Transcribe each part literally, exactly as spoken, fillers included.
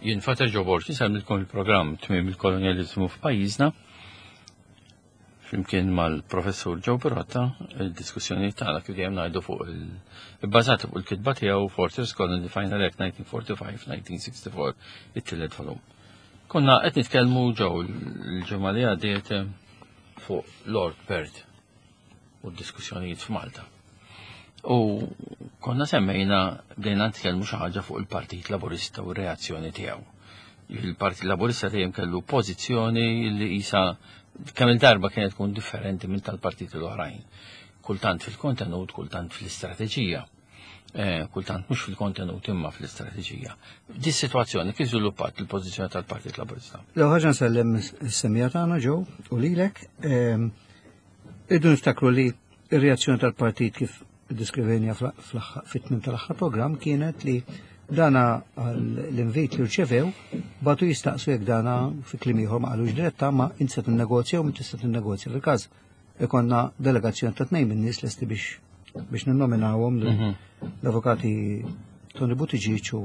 Jien Father Joe Borg insellmilkom il-programm Tmiem il-Kolonjaliżmu f'pajjiżna flimkien mal-professur Joe Pirotta. Il-diskussjoni tagħna, kif dejjem ngħidu, fuq il-bbażata fuq il-kitba tiegħu Fortress Colony: Final Act nineteen forty-five nineteen sixty-four, it-tielet volum. Konna qed nitkellmu, Joe, l-ġimgħa li għaddiet fuq Lord Perth u d-diskussjonijiet f'Malta. U konna semmejna, bdejna nitkellmu xi ħaġa fuq il-Partit Laburista u r-reazzjoni tiegħu. Il-Partit Laburista dejjem kellu pożizzjoni li isa kemm il-darba kienet tkun differenti minn tal-partiti l-oħrajn. Kultant fil-kontenut, kultant fl-istrateġija. Eh, kultant mhux fil-kontenut imma fl-istrateġija. Di situazzjoni kif żviluppat il-pożizzjoni tal-Partit Laburista? L ħaġa nsellem is-semmiegħa tagħna, Joe, u lilek. Ehm, Irridu niftakru li ir-reazzjoni tal-partit, kif diskrivejna fit-tmiem tal-aħħar program, kienet li dana l-invit li rċevew bagħtu jistaqsu jekk dana, fi kliem ieħor ma qalux diretta, ma inti se tinnegozja u min tista' tinnegozja. Fil-każ ikonna delegazzjoni ta' tnejn minn nies lesti biex biex ninnominawhom, mhm. l-avukati Tony Buttigieg u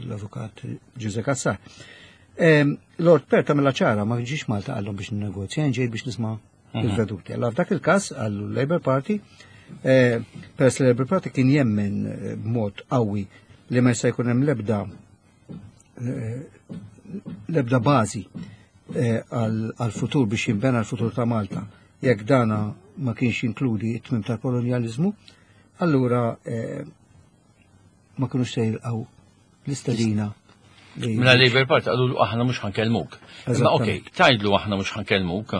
l-avukat Ġużè Cassar. Lord Perth għamilha ċara, ma ġiex Malta għallhom biex ninnegozja, ġej biex nisma' mhm. il-veduti. Allora f'dak il-każ għallu Labour Party, eh, peress li Labour Party kien jemmen eh, b'mod qawwi li ma jista' jkun hemm l-ebda eh, l-ebda bażi għal-futur biex jinbena l-futur ta' Malta jekk dana ma kienx jinkludi it-tmim tal-kolonjalizmu, allura ma kienux se jilqgħu l-istedina. Mela Labour Party għadu aħna mhux ħa nkellmuk. Imma okej, tgħidlu aħna mhux ħa nkellmuk,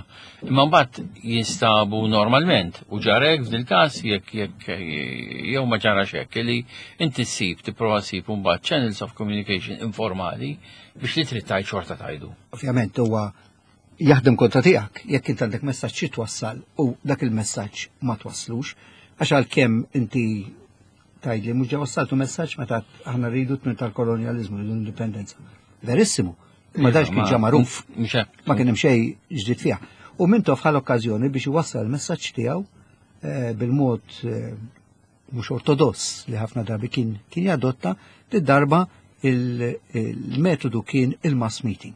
imma mbagħad jinstabu normalment u ġarek f'dil każ jekk jekk jew ma ġarax hekk li inti ssib, tipprova ssib mbagħad channels of communication informali biex li trid tgħid xorta tgħidu. Ovvjament huwa jaħdem kontra tiegħek jekk int għandek messaġġ twassal u dak il-messaġġ ma twasslux, għax għalkemm inti tgħidli mhux ġa wassaltu messaġġ meta aħna rridu tmiem tal-kolonjaliżmu, rridu indipendenza. Verissimu. Ma dax kien ġa magħruf. Ma kien hemm xejn ġdid fiha. U Mintoff ħa l-okkażjoni biex iwassal il-messaġġ tiegħu eh, bil-mod eh, mhux ortodoss li ħafna drabi kien kien jadotta. Li darba il-metodu kien il-mass meeting.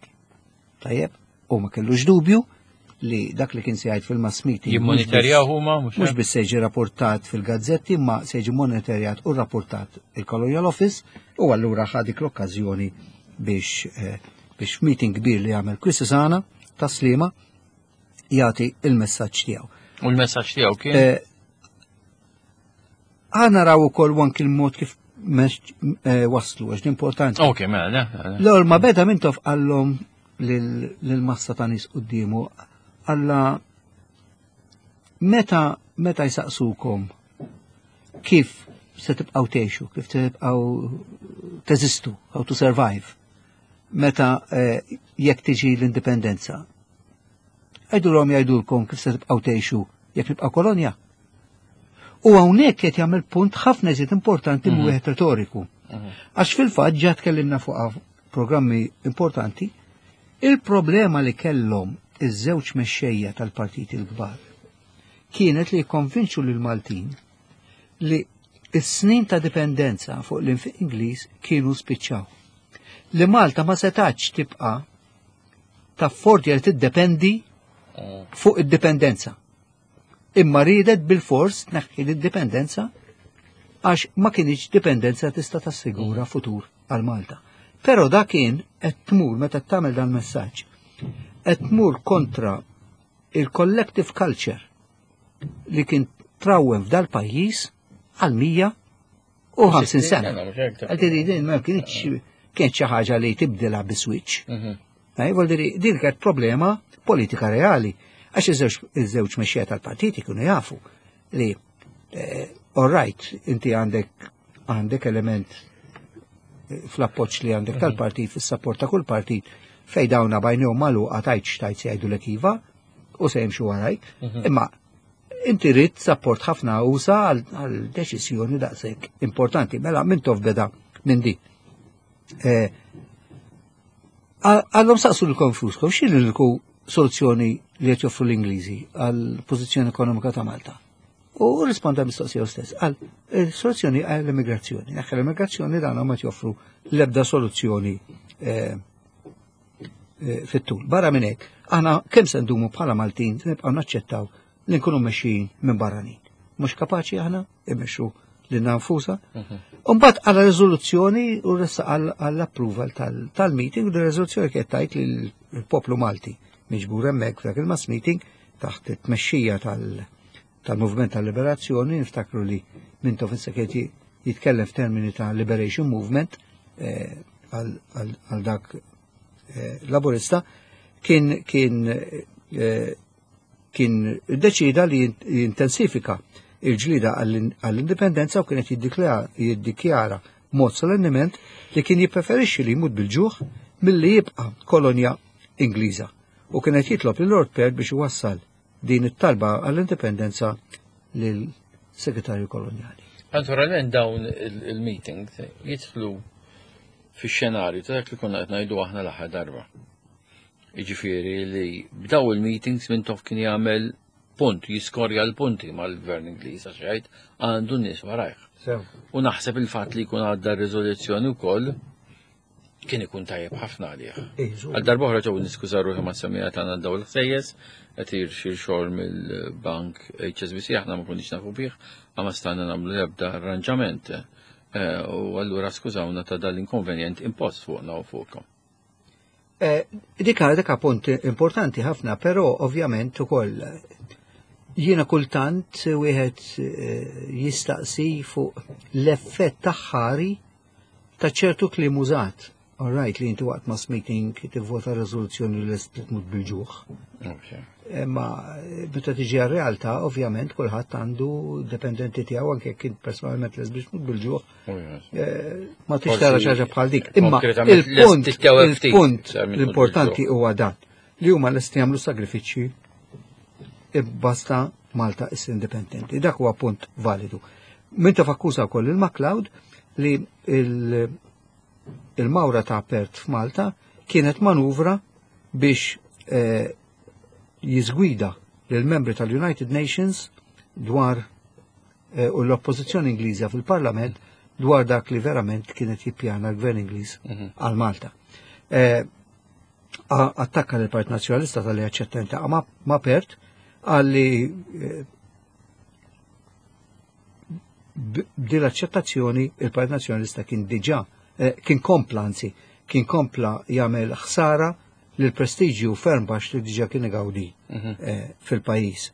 Tajjeb, u ma kellux dubju li dak li kien se jgħid fil-mass meeting Jimmonitorjaw huma mhux mhux biss se jiġi rapportat fil-gazzetti, ma se jiġi monitorjat u rapportat il-Colonial Office, u allura ħa dik l-okkażjoni biex eh, biex meeting kbir li jagħmel Quisisana, Tas-Sliema, jagħti il-messaġġ tiegħu. U l-messaġġ tiegħu kien? Eh, Ħa naraw ukoll anki il-mod kif eh, waslu, għax importanti. Ok, mela, L-ewwel ma beda Mintoff qallhom lil-massa ta' nies quddiemu, alla meta meta jsaqsukom kif se tibqgħu tgħixu, kif tibqgħu teżistu, how to survive, meta eh, jekk tiġi l-indipendenza. Għidulhom jgħidulkom kif se tibqgħu tgħixu jekk nibqgħu kolonja. U hawnhekk qed jagħmel punt ħafna iżjed importanti mm wieħed retoriku. Mhm. Għax fil-fatt ġa tkellimna fuq programmi importanti, il-problema li kellhom iż-żewġ mexxejja tal-partiti l-kbar kienet li jikkonvinċu lil Maltin li is-snin ta' dipendenza fuq l-infiq Ingliż kienu spiċċaw. Li Malta ma setax tibqa' taffordja li tiddependi mm. fuq id-dipendenza. Imma riedet bil-fors tneħħi l-dipendenza għax ma kienx dipendenza tista' tassigura mm. futur għal Malta. Però da kien qed tmur, meta tagħmel dan messaġġ, qed tmur kontra il-collective culture li kien trawwem f'dal pajjiż għal mija u ħamsin sena. Għaltiri din ma kienx kien xi ħaġa li tibdilha bi switch. Mhm. Vuol dire din kienet problema politika reali. Għax iż-żewġ mexxejja tal-partiti kienu jafu li eh, all right, inti għandek għandek element eh, fl-appoġġ li għandek mhm. tal-partit, fis-support ta' kull partit, fej dawna b'għajnejhom magħluqa tajt xtajt se jgħidu l iva u se jimxu warajk. Mhm. Imma inti rrid support ħafna usa għal deċiżjoni daqshekk importanti. Mela Mintoff beda minn di. Eh, Għallhom saqsu lilkom infuskom, x'inhi l soluzzjoni li qed joffru l-Ingliżi għal pożizzjoni ekonomika ta' Malta? U risponda mistoqsija stess. Għal soluzzjoni għall immigrazzjoni. Neħħi l-immigrazzjoni, dan ma joffru l-ebda soluzzjoni eh, eh, fit-tul. Barra minn hekk, aħna kemm se ndumu bħala Maltin se nibqgħu naċċettaw li nkunu mexxijin minn barranin. Mhux kapaċi aħna immexxu lilna nfusna. Umbagħad għala riżoluzzjoni u ressa għall-approval tal-meeting u r-riżoluzzjoni kienet tgħid li l-poplu Malti miġbur hemmhekk f'dak il-mass meeting taħt it-tmexxija tal-Movement tal-Liberazzjoni, niftakru li Mintoff issa kien jitkellem f'termini ta' Liberation Movement eh, għal dak eh, laburista, kien kien eh, kien deċida li jintensifika il-ġlida għall-indipendenza u kienet jiddikjara mod solennement li kien jippreferixxi li jmut bil-ġuħ milli jibqa' kolonja Ingliża. U kienet jitlob lil Lord Perth biex iwassal din it-talba għall-indipendenza lil segretarju kolonjali. Naturalment dawn il-meetings jidħlu fix-xenarju ta' dak li konna qed ngħidu aħna l-aħħar darba. Jiġifieri li b'daw il-meetings Mintoff kien jagħmel punt, jiskorja l-punti mal-gvern Ingliż għax jgħid għandu n-nies warajh. U naħseb il-fatt li jkun għadda r-riżoluzzjoni wkoll kien ikun tajjeb ħafna għalih. Għal darba oħra ġew niskuża ruħi ma' semmiegħa tagħna daw l-ħsejjes, qed xi xogħol mill-bank H S B C, aħna ma konniex nafu bih, ma stajna nagħmlu l-ebda arranġament. Eh, u allura skużawna ta' dal-inkonvenjent impost fuqna u fuqkom. Eh, dika dika punt importanti ħafna, però ovvjament ukoll jiena kultant wieħed eh, jistaqsi fuq l-effett taħħari ta' ċertu kliem użat. All right, li inti waqt mass meeting tivvota rezoluzzjoni li lest tmut bil-ġuħ. Ma meta tiġi għar-realtà, ovvjament kulħadd għandu dependenti tiegħu, anke kien personalment lest biex tmut bil-ġuħ. Eh, ma tix tara xi ħaġa bħal dik. Imma il-punt il-punt l-importanti huwa dan li huma lesti jagħmlu sagrifiċċji basta Malta is indipendenti. Dak huwa punt validu. Mintoff akkuża wkoll il-MacLeod li il- il-mawra ta' Perth f'Malta kienet manuvra biex eh, jiżgwida lill-membri tal-United Nations dwar eh, u l-oppożizzjoni Ingliża fil-Parlament dwar dak li verament kienet jippjana l-Gvern Ingliż mhm. għal Malta. Eh, attakka l-Partit Nazzjonalista talli aċċetta ma, ma Perth għalli eh, b'din l-aċċettazzjoni il-Partit Nazzjonalista kien diġà eh, kien kompla, anzi kien kompla jagħmel ħsara lil prestiġju ferm baxx li diġà kien igawdi mhm. eh, fil-pajjiż.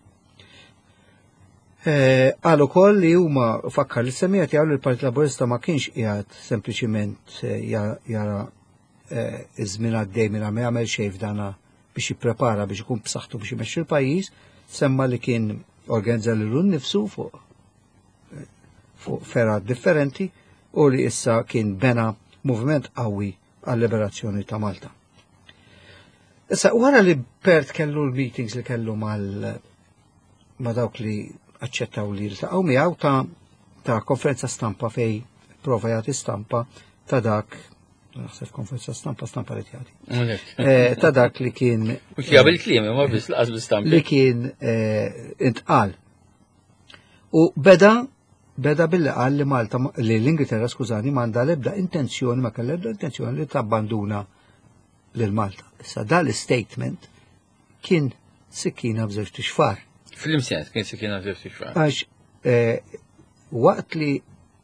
Qal ukoll li huma fakkar li semmiegħa tiegħu li l-Partit Laburista ma kienx qiegħed sempliċiment jara iż-żmien għaddej minn ma jagħmel xejn f'dana biex jipprepara biex ikun b'saħħtu biex imexxi l-pajjiż, semma li kien organizza lilu nnifsu fuq fuq fergħat differenti u li issa kien bena moviment qawwi għal-liberazzjoni ta' Malta. Issa, wara li Perth kellu l-meetings li kellu mal ma dawk li aċċettaw li jiltaqgħu miegħu, ta' ta' konferenza stampa fej prova jagħti stampa ta' dak, naħseb konferenza stampa stampa li tjagħti. Eh, ta' dak li kien U xjab il-kliem, ma biss laqas bi-stampi. Li kien eh, intqal. U beda beda billi qal li Malta, li l-Ingilterra, skużani, m'għandha l-ebda intenzjoni, ma kellha l-ebda intenzjoni li tabbanduna lil Malta. Issa dal statement kien sikkina b'żewġt ixfar. Fl-imsens kien sikkina b'żewġt ixfar. Għax eh, waqt li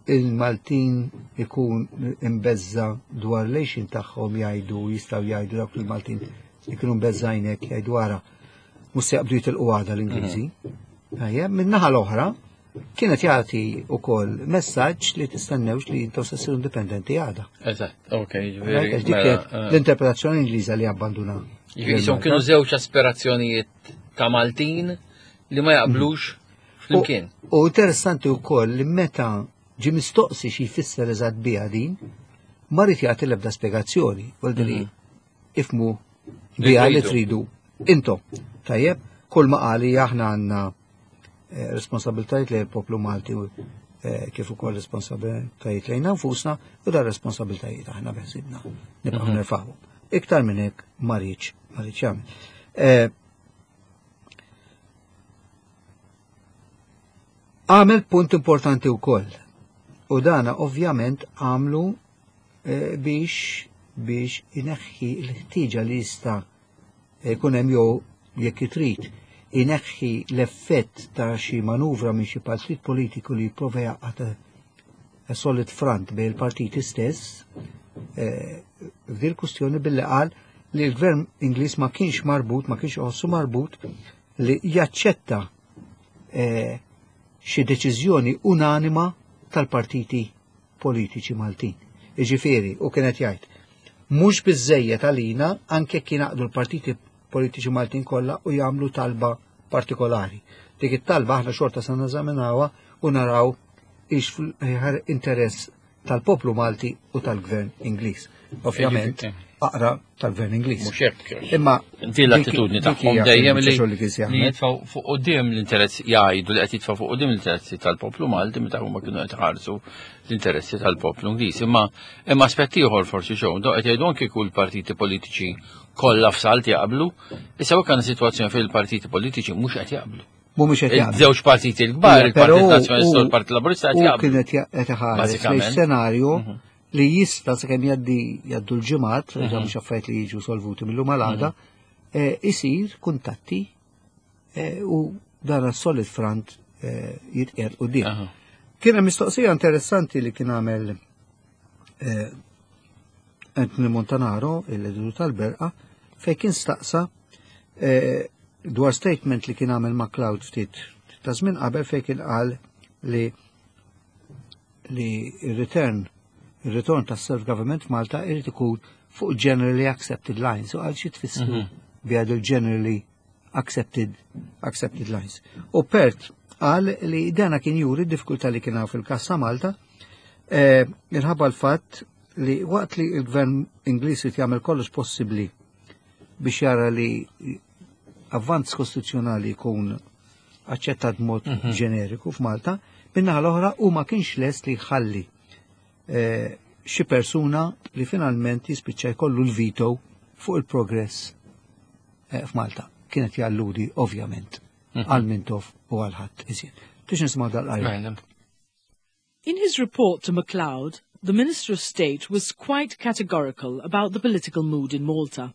il-Maltin ikun imbeżża' dwar l-għixien tagħhom, jgħidu, jistgħu jgħidu dawk il-Maltin li kienu mbeżżgħinek jgħidu, "Ara, mhux se jaqbdu jitilqu għada l-Ingliżi." Tajjeb, min-naħa l-oħra kienet jagħti wkoll messaġġ li tistennewx li intom se ssiru indipendenti għada. Eżatt, ok, Right? ġifieri. Għax dik mela, kienet eh, l-interpretazzjoni Ingliża li abbanduna. Ġifieri son kienu żewġ aspirazzjonijiet ta' Maltin li ma jaqblux flimkien. U interessanti wkoll li meta ġi mistoqsi xi jfisser eżatt biha din, ma ried jagħti l-ebda spjegazzjoni, vuol dire ifhmu biha li tridu. Intom, tajjeb, kull ma qali aħna għandna eh, responsabiltajiet lejn il-poplu Malti u eh, kif ukoll responsabiltajiet lejn nfusna u dar responsabiltajiet aħna beħsibna nibqgħu nerfgħuhom. Iktar minn hekk ma riedx ma riedx jagħmel. Eh, Għamel punt importanti wkoll. U dana ovvjament għamlu eh, biex biex ineħħi l-ħtieġa li jista' jkun hemm jew jekk trid ineħħi l-effett ta' xi manuvra minn xi partit politiku li jipprova jgħaqqad solid front bejn il-partiti stess eh, f'dil kwistjoni billi qal li l-gvern Ingliż ma kienx marbut, ma kienx iħossu marbut li jaċċetta eh, xi deċiżjoni unanima tal-partiti politiċi Maltin. Iġifieri, u kienet jgħid, mhux biżejjed għalina anke kien jingħaqdu l-partiti politiċi Maltin kollha u jagħmlu talba partikolari. Dik it-talba aħna xorta se neżaminawha u naraw ix interess tal-poplu Malti u tal-gvern Ingliż. Ovvjament, aqra tal-gvern Ingliż. Mhux hekk. Imma Din l-attitudni dik tagħhom hija dejjem li xogħol li kien li jagħmel. jitfgħu fuq quddiem l-interess jgħidu li qed jitfgħu fuq quddiem l-interessi tal-poplu Malti meta huma kienu qed iħarsu l-interessi tal-poplu Ingliż. Imma imma aspett ieħor forsi xew, do qed jgħidu anke kull partiti politiċi kollha f'salt jaqblu, issa hekk għandna sitwazzjoni fejn il-partiti politiċi mhux qed jaqblu. Mhumiex qed jaqblu. Il-żewġ partiti l-kbar, Però il-Partit Nazzjonalista u u- l-Partit Laburista qed U jaqblu. kienet qed iħares lejn Bażikament. senarju Mhm. li jista' sakemm jgħaddi jgħaddu l-ġimgħat, mm mhux affarijiet li jiġu solvuti mill-lum għal għada, eh, isir kuntatti eh, u dan solid front eh, jitqiegħed quddiem. Aha. Kien hemm mistoqsija interessanti li kien għamel eh, Anthony Montanaro, il-editur tal-Berqa, fej kien staqsa eh, dwar statement li kien għamel McCloud ftit ta' żmien qabel fej kien qal li li il-return il-return tas self-government f'Malta irid ikun fuq generally accepted lines. U għal xi tfissru bi il-generally accepted accepted lines. U Perth qal li dana kien juri d-diffikultà li kien hawn fil-kas ta' Malta eh, minħabba l-fatt li waqt li il-gvern Ingliż irid jagħmel kollox possibbli biex jara li avvanz kostituzzjonali jkun aċċettat b'mod ġeneriku f'Malta, min-naħa l-oħra u ma kienx lest li jħalli eh, xi persuna li finalment jispiċċa jkollu l-veto fuq il-progress eh, f'Malta. Kienet jalludi ovvjament għal Mintoff u għal ħadd iżjed. Tix nisma' dal-qari. Mela. In his report to MacLeod, the Minister of State was quite categorical about the political mood in Malta.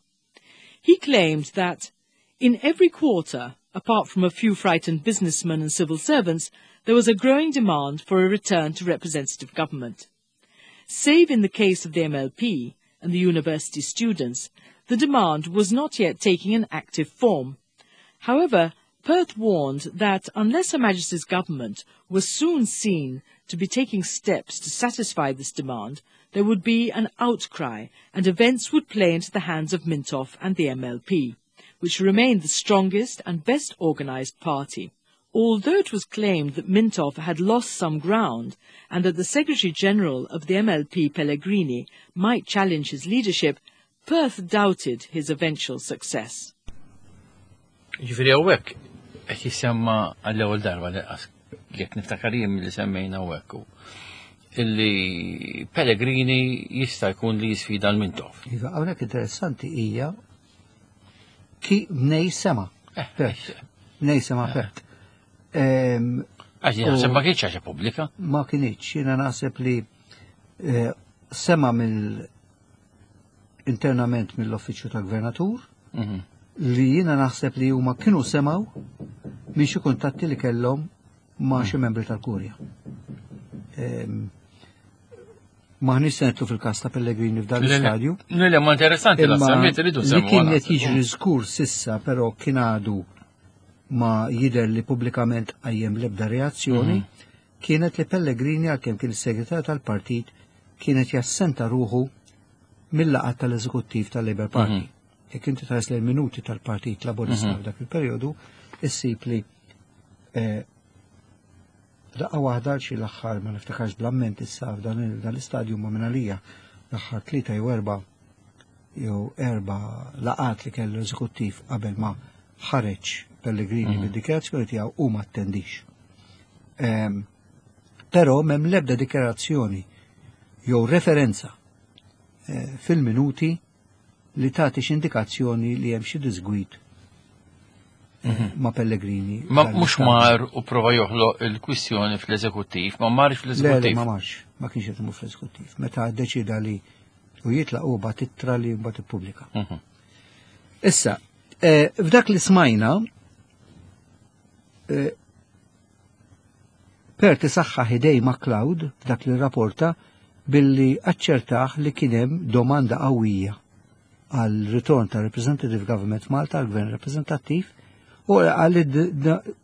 He claimed that in every quarter, apart from a few frightened businessmen and civil servants, there was a growing demand for a return to representative government. Save in the case of the M L P and the university students, the demand was not yet taking an active form. However, Perth warned that unless Her Majesty's government was soon seen to be taking steps to satisfy this demand, there would be an outcry and events would play into the hands of Mintoff and the M L P, which remained the strongest and best organized party. Although it was claimed that Mintoff had lost some ground and that the Secretary General of the M L P, Pellegrini, might challenge his leadership, Perth doubted his eventual success. Ġifieri hawnhekk qed jisemma għall-ewwel darba li jekk niftakar jien li semmejna hawnhekk hu illi Pellegrini jista' jkun li jisfida l-Mintoff. Iva, hawnhekk interessanti hija ki mnej sema. Eh, Perth. Mnej sema Perth. Em, Għax jien naħseb ma kienx ħaġa pubblika. Ma kinitx, jiena naħseb li eh, sema mill internament mill-uffiċċju tal-gvernatur Mhm. li jiena naħseb li huma kienu semaw minn xi kuntatti li kellhom ma' xi membri tal-Kurja. Em, Maħniex se nidħlu fil-każ ta' Pellegrini f'dan l-istadju. Le, le, ma interessanti la Imma semmiet iridu li semmu. kien qed jiġri żgur sissa, però kien għadu ma jider li pubblikament qajjem l-ebda reazzjoni, kienet li Pellegrini, għalkemm kien is-segretarju tal-partit, kienet jassenta ruħu mill-laqgħat tal-eżekuttiv tal-Labour Party. Jekk inti tħares lejn minuti tal-Partit Laburista f'dak il-perjodu, issib li eh, daqqa waħda xi l-aħħar, ma niftakarx bl-amment issa f'dan il- dan l-istadju, ma minn għalija l-aħħar tlieta jew erba' jew erba' laqat li kellu eżekuttiv qabel ma ħareġ Pellegrini bid-dikjarazzjoni tiegħu u ma attendix. Em, Però m'hemm l-ebda dikjarazzjoni jew referenza eh, fil-minuti li tagħti xi indikazzjoni li hemm xi disgwid eh, ma' Pellegrini. Ma f'dan mhux l-istadju. mar u prova joħloq il-kwistjoni fl-eżekuttiv, ma marx Le, le, fl-eżekuttiv. ma marx, ma kienx qed imur fl-eżekuttiv. Meta ddeċida li U jitlaq u bagħat ittra li mbagħad ippubblika. Mhm. Issa, eh, f'dak li smajna, eh, Perth isaħħaħ idejn Macleod f'dak li rapporta billi aċċertaħ li kien hemm domanda qawwija għal ritorn ta' Representative Government Malta, għal gvern rappresentattiv, u għal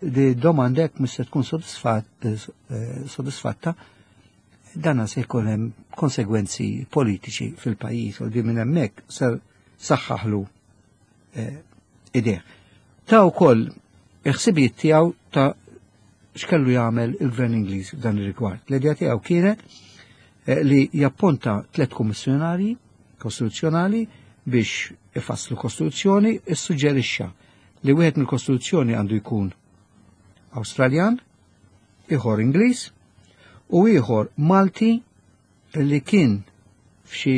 di domanda jekk mhux se tkun sodisfat- eh, sodisfatta, dana se jkun hemm konsegwenzi politiċi fil-pajjiż u di minn hemmhekk ser saħħaħlu eh, idejh. Ta' wkoll il-ħsibijiet tiegħu ta' x'kellu jagħmel il-Gvern Ingliż f'dan ir-rigward. L-idea tiegħu kienet eh, li jappunta tliet kummissjonarji kostituzzjonali biex ifasslu kostituzzjoni, issuġġerixxa li wieħed mill-kostituzzjoni għandu jkun Awstraljan, ieħor Ingliż u ieħor Malti li kien f'xi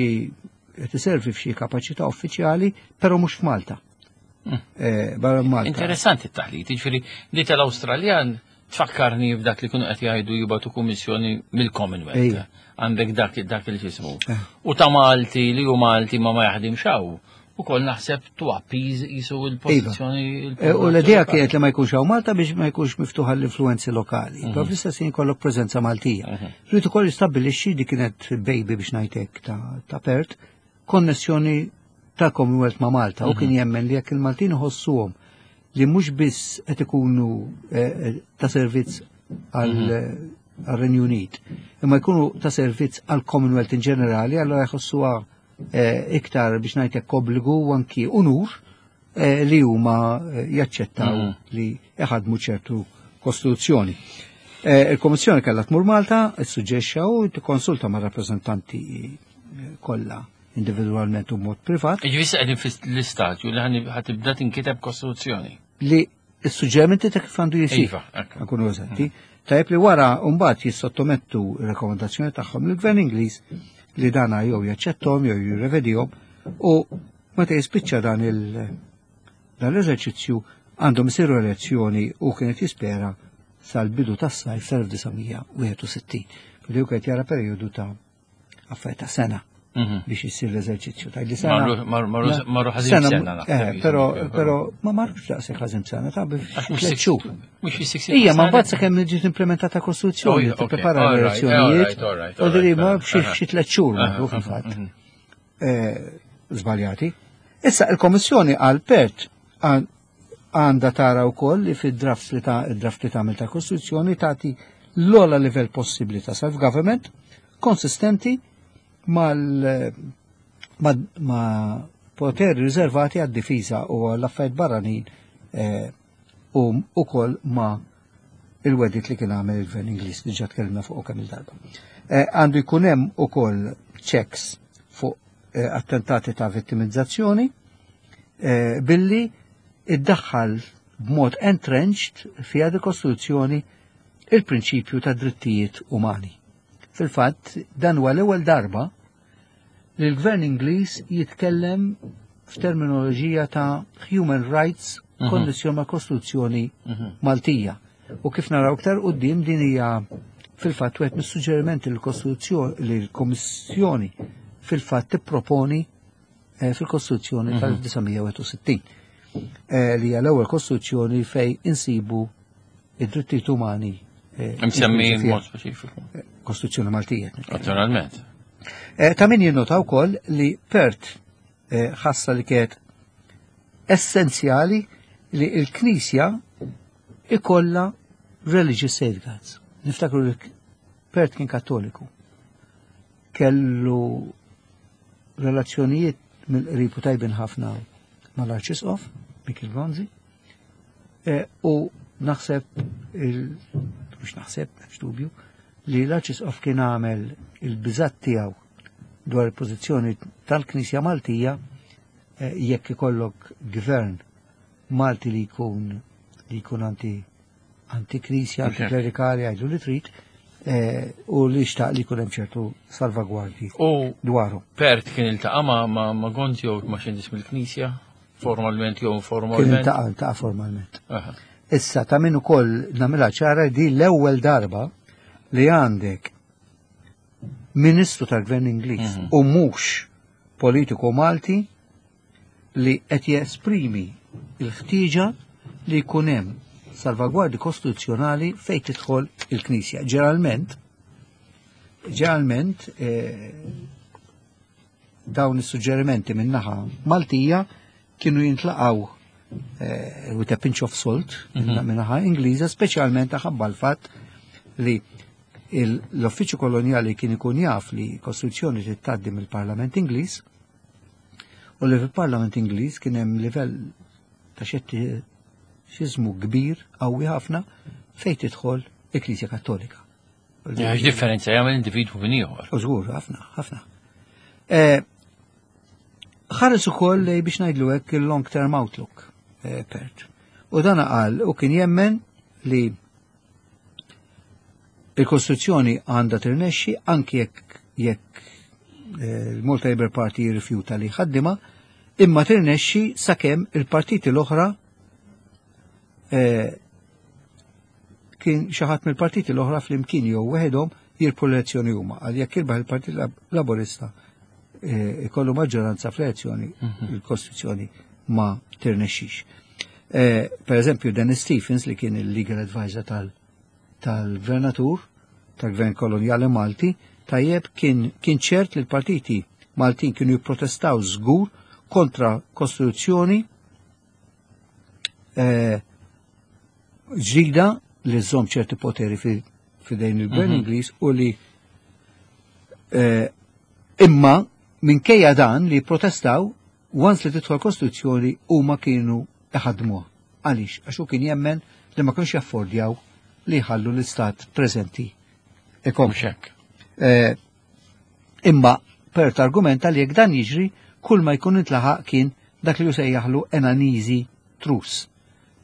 qed iservi f'xi kapaċità uffiċjali, però mhux f'Malta. Eh, barra Malta. Interessanti t-taħlit, ġifieri di tal-Awstraljan tfakkarni f'dak li kienu qed jgħidu jibagħtu kummissjoni mill-Commonwealth. Ejja. Għandek dak dak il-ġismu. Eh. U ta' Malti li hu Malti ma ma jaħdimx hawn. Ukoll naħseb to appease jisu il-pożizzjoni. Eh, U l-idea kienet li ma jkunx hawn Malta biex ma jkunx miftuħa l-influenzi lokali. Però fl-istess ħin jkollok preżenza Maltija. Rrid ukoll jistabbilixxi, di kienet baby biex ngħidlek ta' ta' Perth, konnessjoni ta' Commonwealth ma' Malta u kien jemmen li jekk il-Maltin iħossuhom li mhux biss qed ikunu eh, eh, ta' servizz għal għal-Renju Unit, imma jkunu ta' servizz għal Commonwealth in ġenerali, allora jħossuha eh, iktar biex ngħidlek obbligu u anki unur eh, li huma eh, jaċċettaw li jaħdmu ċertu kostituzzjoni. Eh, Il-Komissjoni kellha tmur Malta, issuġġexxa u tikkonsulta ma' rappreżentanti eh, kollha individwalment u mod privat Ġifieri issa qegħdin fl-istadju li ħani- ħa tibda tinkiteb kostituzzjoni. Li s-suġġerimenti ta' kif għandu jisir. Iva, ekku. Nkunu eżatti. Tajjeb li wara mbagħad jissottomettu r-rekomendazzjoni tagħhom lill-Gvern Ingliż li dana jew jaċċettom jew jirrevedihom u meta jispiċċa dan il dan l-eżerċizzju għandhom isiru elezzjoni u kienet jispera sal-bidu tas-sajf tal-elf disa' mija wieħed u sittin. Li hu kienet jara perjodu ta' affarijiet ta' sena Mhm. biex jissir l-eżerċizzju. Tajt li sena. Marru- marru- marru- marru ħażin sena naħseb, Eh, però, jiġifieri, però ma marrux daqshekk ħażin sena, ta' Għax mhux tliet xhur. Mhux fi six. Ija, ma mbagħad sakemm ġiet implementata kostituzzjoni, Oh, okay. tipprepara All right, l-elezzjonijiet. all right, U all diri right, ma all right. xi xi tliet xhur marru Aha, fil-fatt. mhm. Eh, Żbaljati. Issa il-Kommissjoni għal Perth għan- għandha tara wkoll li fid-draft li ta' id-draft li tagħmel ta' kostituzzjoni tagħti l-ogħla livell possibbli ta' self-government konsistenti mal ma, ma poteri riservati għad-difiża u għall-affarijiet barranin eh, u ukoll ma il-wegħdiet li kien għamel il-Gvern Ingliż li ġa tkellimna fuq kemm il-darba. Eh, Għandu jkun hemm ukoll checks fuq eh, attentati ta' vittimizzazzjoni eh, billi iddaħħal b'mod entrenched fiha di kostituzzjoni il-prinċipju ta' drittijiet umani. Fil-fatt, dan huwa l-ewwel darba li l-Gvern Ingliż jitkellem f'terminoloġija ta' human rights Mhm. konnessjoni ma' kostituzzjoni Mhm. Maltija. U kif naraw iktar quddiem din hija fil-fatt wieħed mis-suġġerimenti li l-Kostituzzjoni li l-Kommissjoni fil-fatt tipproponi eh, fil-Kostituzzjoni Mhm. tal-elf disa' mija wieħed u sittin, eh, li hija l-ewwel kostituzzjoni fej insibu id-drittijiet umani eh, Msemmi inklużi fiha. mod speċifiku. Kostituzzjoni Maltija qed nitkellem. Naturalment. Eh, Ta' min jinnota wkoll li Perth eh, ħassa li kienet essenzjali li l-Knisja ikolla religious safeguards. Niftakru li Perth kien Kattoliku. Kellu relazzjonijiet mill-qrib u tajbin ħafna mal-Arċisqof, Mikiel Gonzi, eh, u naħseb, il- mhux naħseb, m'hemmx dubju, li l-Arċisqof kien għamel il-biżat tiegħu dwar il-pożizzjoni tal-Knisja Maltija eh, jekk ikollok gvern Malti li jkun li jkun anti anti-Knisja, Ok. anti-klerikali, għajdu li trid, eh, u li xtaq li jkun hemm ċertu salvagwardji U dwaru. Perth kien iltaqa' ma' ma' ma' Gonzi jew ma' xi nies mill-Knisja, formalment jew Kien informalment. iltaqa' iltaqa' formalment. Aha. Issa ta' min ukoll nagħmilha ċara di l-ewwel darba li għandek ministru tal-Gvern Ingliż Mhm. u mhux politiku Malti li qed jesprimi il-ħtieġa li jkun hemm salvagwardi kostituzzjonali fejn tidħol il-Knisja. Ġeneralment, ġeneralment eh, dawn is-suġġerimenti min-naħa Maltija kienu jintlaqgħu eh, with a pinch of salt mhm. min-naħa Ingliża, speċjalment ħabba l-fatt li l-uffiċċju kolonjali kien ikun jaf li kostituzzjoni tgħaddi mill-Parlament Ingliż u li fil-Parlament Ingliż kien hemm livell ta' xettiċiżmu kbir qawwi ħafna fejn tidħol il-Knisja Kattolika. Differenza jagħmel individwu minn ieħor. U żgur, ħafna, ħafna. Eh, ħares ukoll biex ngħidlu hekk il-long term outlook, eh, Pert. U dan qal u kien jemmen li il-Kostituzzjoni għandha tirnexxi anki jekk jekk eh, il-Malta Labour Party jirrifjuta li jħaddimha, imma tirnexxi sakemm il-partiti l-oħra eh, kien xi ħadd mill-partiti l-oħra flimkien jew weħedhom jirbħu l-elezzjoni huma. Għal jekk jirbaħ il-Partit Laburista eh, ikollu maġġoranza fl-elezzjoni, mhm. il-Kostituzzjoni ma tirnexxix. Per eżempju, Dennis Stephens, li kien il-legal advisor tal- tal-gvernatur, tal-gvern kolonjali Malti, tajjeb, kien, kien ċert li l-partiti Maltin kienu jipprotestaw żgur kontra kostituzzjoni eh, ġdida li żżomm ċerti poteri fidejn il-gvern mhm. Ingliż u li eh, imma minkejja dan li protestaw, once li tidħol kostituzzjoni huma kienu iħadmuha. Għaliex? Għax hu kien jemmen li ma kienx jaffordjaw li jħallu l-istat preżenti ikompli. Eh, imma Pert argumenta li jekk dan jiġri, kull ma jkun intlaħaq kien dak li jsejjaħlu an uneasy truce.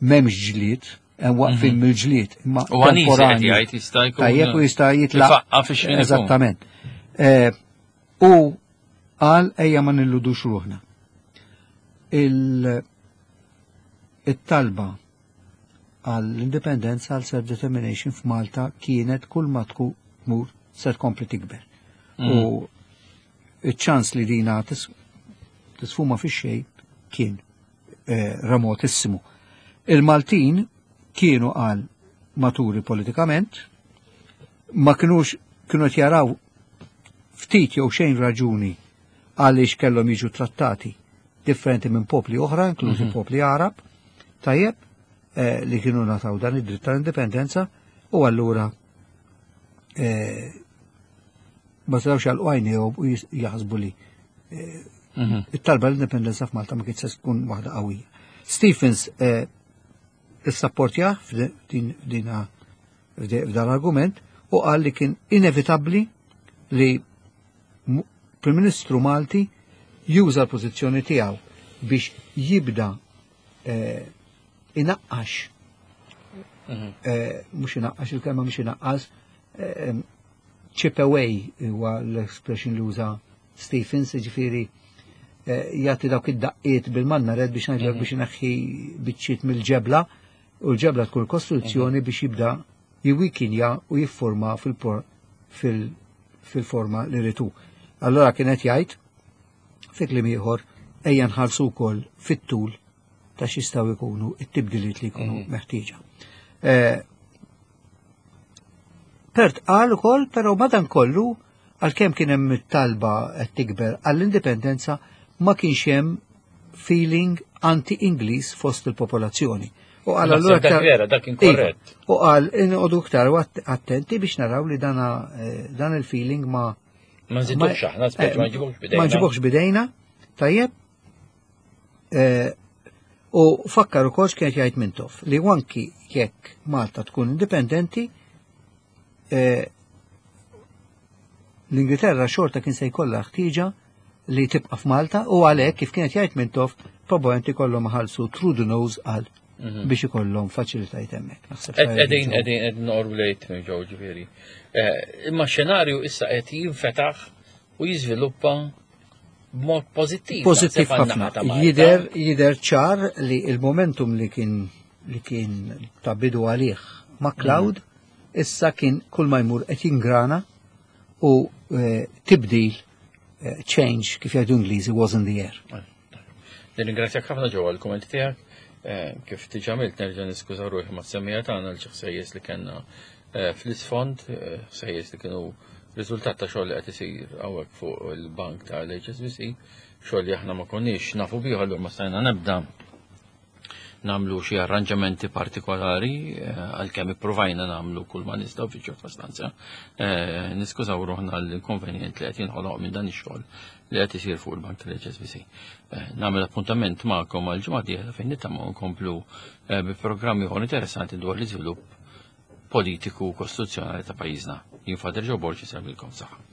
M'hemmx ġlied, hemm waqfin mhm. mill-ġlied, imma U temporanju. Jista' jkun. Tajjeb, u jista' jitlaq. Eżattament. Eh, u qal ejja ma nilludux ruħna. Il-talba għall-indipendenza, għal self-determination f'Malta kienet kull ma tkun tmur se tkompli tikber. Mm. U iċ-ċans li dina tisfuma fi xejn kien eh, remotissimu. Il-Maltin kienu għal maturi politikament, ma kienux kienu jaraw ftit jew xejn raġuni għaliex kellhom jiġu trattati differenti minn popli oħra, inklużi mm -hmm. popli Arab, tajjeb, eh, li kienu ngħataw dan id-dritt tal-indipendenza u allura eh, ma setgħux jagħlqu għajnejhom u jaħsbu li eh, mhm. it-talba l-indipendenza f'Malta ma kienx se tkun waħda qawwija. Stephens eh, issapportjah f'dina f'dan argument u qal li kien inevitabbli li Prim Ministru Malti juża l-pożizzjoni tiegħu biex jibda eh, inaqqax mhm. eh, mhux inaqqax, il-kelma mhux inaqqas, eh, chip away huwa l-expression li uża Stephens, ġifieri jagħti dawk id-daqqiet bil-mannared biex ngħidlek mhm. biex ineħħi biċċiet mill-ġebla u l-ġebla tkun kostruzzjoni mhm. biex jibda jiwikinja u jifforma fil-forma li ritu. Allora kienet jgħid fi kliem ieħor ejja nħarsu wkoll fit-tul ta' x'jistgħu jkunu it-tibdiliet li jkunu mhm. meħtieġa. Eh, Pert qal ukoll però madankollu għalkemm kien hemm talba qed tikber għall-indipendenza, ma kienx hemm feeling anti-Ingliż fost il-popolazzjoni. U qal allura dak vera, dak kien iva. korrett. U qal inqogħdu iktar attenti biex naraw li dana eh, dan il-feeling ma Ma nżidux aħna, speċi ma nġibux bidejna. Ma nġibux bidejna, tajjeb. Eh, u fakkar ukoll x'kienet jgħid Mintoff li anki jekk Malta tkun indipendenti, eh, l-Ingilterra xorta kien se jkollha ħtieġa li tibqa' f'Malta u għalhekk, kif kienet jgħid Mintoff, probabbilment ikollhom iħallsu through the nose għal mhm. biex ikollhom faċilitajiet hemmhekk. Qegħdin qegħdin qegħdin noqorbu lejt minn ġew ġifieri. Eh, imma xenarju issa qed jinfetaħ u jiżviluppa b'mod pożittiv. Pożittiv ħafna. Jider jider ċar li il-momentum li kien li kien ta' bidu għalih MacLeod mhm. issa kien kull ma jmur qed jingrana u eh, tibdil uh, change, kif jgħidu Ingliżi, was in the air. Nirringrazzjak ħafna Joe għall-kummenti tiegħek. Eh, kif diġà għamilt, nerġa' niskuża ruħi mas-semmiegħa tagħna għal xi ħsejjes li kellna eh, fl-isfond, eh, ħsejjes li kienu riżultat ta' xogħol li qed isir hawnhekk fuq il-bank tal-H S B C, xogħol li aħna ma konniex nafu bih, allura ma stajna nibda nagħmlu xi arranġamenti partikolari, għalkemm ippruvajna nagħmlu kull ma nistgħu fi ċirkostanza. Niskużaw ruħna l-inkonvenjent li qed jinħoloq minn dan ix-xogħol li qed isir fuq il-bank tal-H S B C. Nagħmel appuntament magħkom għal ġimgħa dieħla fejn nittama nkomplu bi programmi oħra interessanti dwar l-iżvilupp politiku u kostituzzjonali ta' pajjiżna. Jien Father Joe Borg, insellmilkom, saħħa.